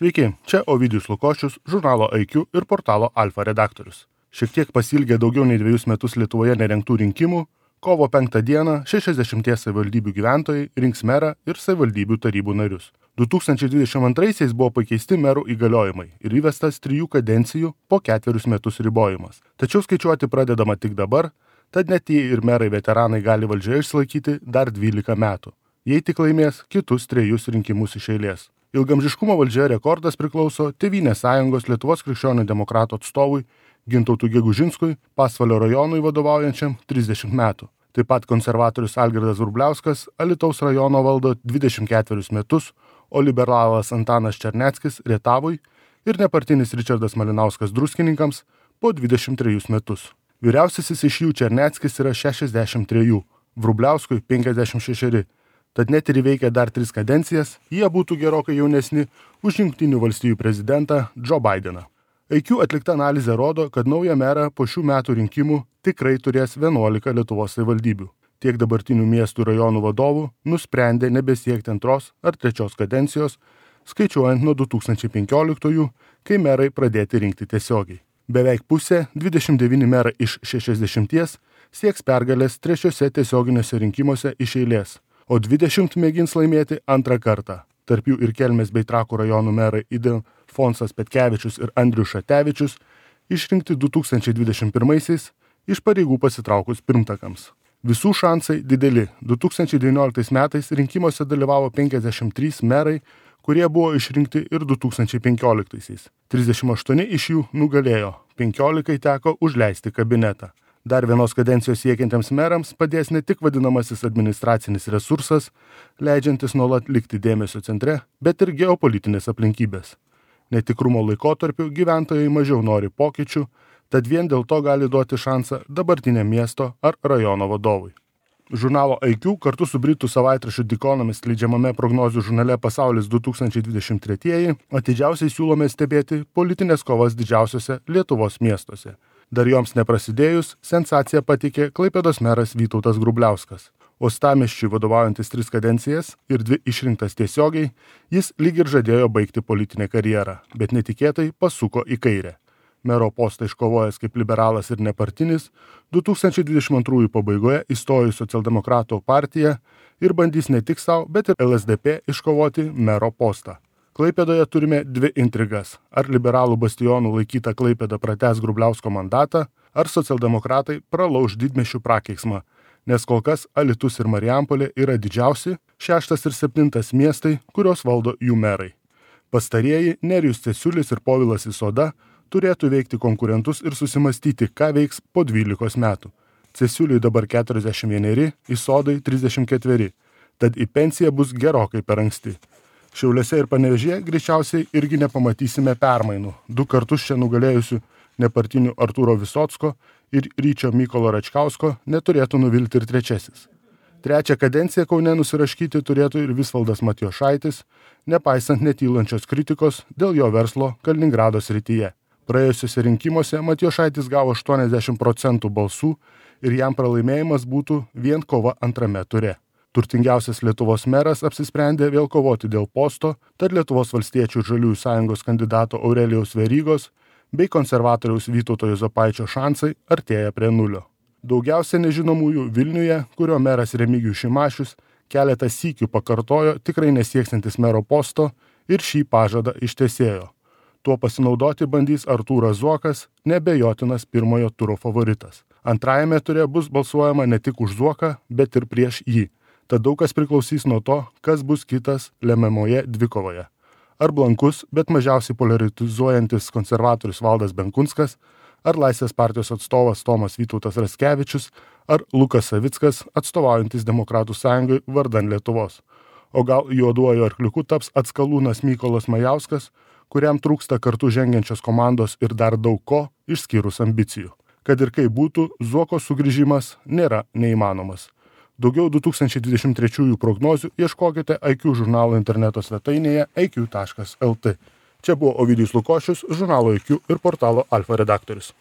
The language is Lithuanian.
Sveiki, čia Ovidijus Lukošius, žurnalo IQ ir portalo Alfa redaktorius. Šiek tiek pasilgę daugiau nei 2 metus Lietuvoje nerengtų rinkimų, kovo 5 dieną 60 savivaldybių gyventojai rinks merą ir savivaldybių tarybų narius. 2022 buvo pakeisti merų įgaliojimai ir įvestas 3 kadencijų po 4 metus ribojimas. Tačiau skaičiuoti pradedama tik dabar, tad net jei ir merai veteranai gali valdžioje išsilaikyti dar 12 metų, jei tik laimės kitus 3 rinkimus iš eilės. Ilgamžiškumo valdžioje rekordas priklauso Tėvynės sąjungos Lietuvos krikščionių demokratų atstovui Gintautui Gegužinskui, Pasvalio rajonui vadovaujančiam 30 metų. Taip pat konservatorius Algirdas Vrubliauskas Alytaus rajono valdo 24 metus, o liberalas Antanas Černeckis Rietavui ir nepartinis Ričardas Malinauskas Druskininkams po 23 metus. Vyriausiasis iš jų Černeckis yra 63, Vrubliauskui 56. Tad net ir įveikę dar 3 kadencijas, jie būtų gerokai jaunesni už Jungtinių valstijų prezidentą Joe Bideną. IQ atlikta analizė rodo, kad naują merą po šių metų rinkimų tikrai turės 11 Lietuvos savivaldybių. Tiek dabartinių miestų rajonų vadovų nusprendė nebesiekti 2 ar 3 kadencijos, skaičiuojant nuo 2015, kai merai pradėti rinkti tiesiogiai. Beveik pusė, 29 merai iš 60, sieks pergalės 3 tiesioginiuose rinkimuose iš eilės, o 20 mėgins laimėti 2 kartą. Tarp jų ir Kelmės bei Trakų rajonų merai Ildefonsas Petkevičius ir Andrius Šatevičius išrinkti 2021 iš pareigų pasitraukus pirmtakams. Visų šansai dideli. 2019 metais rinkimuose dalyvavo 53 merai, kurie buvo išrinkti ir 2015. 38 iš jų nugalėjo, 15 teko užleisti kabinetą. Dar 1 kadencijos siekiantiems merams padės ne tik vadinamasis administracinis resursas, leidžiantis nuolat likti dėmesio centre, bet ir geopolitinės aplinkybės. Netikrumo laikotarpiu gyventojai mažiau nori pokyčių, tad vien dėl to gali duoti šansą dabartiniam miesto ar rajono vadovui. Žurnalo IQ kartu su britų savaitraščiu The Economist leidžiamame prognozių žurnale Pasaulis 2023 atidžiausiai siūlome stebėti politinės kovas didžiausiose Lietuvos miestuose. Dar joms neprasidėjus, sensaciją pateikė Klaipėdos meras Vytautas Grubliauskas. Uostamiesčiui vadovaujantis 3 kadencijas ir 2 išrinktas tiesiogiai, jis lyg ir žadėjo baigti politinę karjerą, bet netikėtai pasuko į kairę. Mero postą iškovojęs kaip liberalas ir nepartinis, 2022 pabaigoje įstojo į Socialdemokratų partiją ir bandys ne tik savo, bet ir LSDP iškovoti mero postą. Klaipėdoje turime 2 intrigas. Ar liberalų bastionų laikyta Klaipėda pratęs Grubliausko mandatą, ar socialdemokratai pralauš didmiesčių prakeiksmą, nes kol kas Alytus ir Marijampolė yra didžiausi, 6 ir 7 miestai, kurios valdo jų merai. Pastarieji Nerijus Cesiulis ir Povilas Isoda turėtų veikti konkurentus ir susimastyti, ką veiks po 12 metų. Cesiuliui dabar 41, Isodai 34, tad į pensiją bus gerokai per anksti. Šiauliuose ir Panevėžyje greičiausiai irgi nepamatysime permainų. 2 kartus čia nugalėjusių nepartinių Artūro Visocko ir Ryčio Mykolo Račkausko neturėtų nuvilti ir 3. 3 kadenciją Kaune nusiraškyti turėtų ir Visvaldas Matijošaitis, nepaisant netylančios kritikos dėl jo verslo Kaliningrado srityje. Praėjusiuose rinkimuose Matijošaitis gavo 80% balsų ir jam pralaimėjimas būtų vien kova 2 ture. Turtingiausias Lietuvos meras apsisprendė vėl kovoti dėl posto, tad Lietuvos valstiečių ir žaliųjų sąjungos kandidato Aurelijaus Verygos bei konservatoriaus Vytauto Juozapaičio šansai artėja prie 0. Daugiausia nežinomųjų Vilniuje, kurio meras Remigijus Šimašius keletą sykių pakartojo tikrai nesieksantis mero posto ir šį pažadą ištesėjo. Tuo pasinaudoti bandys Artūras Zuokas, neabejotinas pirmojo turo favoritas. Antrajame ture bus balsuojama ne tik už Zuoką, bet ir prieš jį. Tad daug kas priklausys nuo to, kas bus kitas lemiamoje dvikovoje. Ar blankus, bet mažiausiai polarizuojantis konservatorius Valdas Benkunskas, ar Laisvės partijos atstovas Tomas Vytautas Raskevičius, ar Lukas Savickas, atstovaujantis Demokratų sąjungai vardan Lietuvos. O gal juoduoju arkliuku taps atskalūnas Mykolas Majauskas, kuriam trūksta kartu žengiančios komandos ir dar daug ko, išskyrus ambicijų. Kad ir kaip būtų, Zuoko sugrįžimas nėra neįmanomas. Daugiau 2023 prognozių ieškokite IQ žurnalo interneto svetainėje iq.lt. Čia buvo Ovidijus Lukošius, žurnalo IQ ir portalo Alfa redaktorius.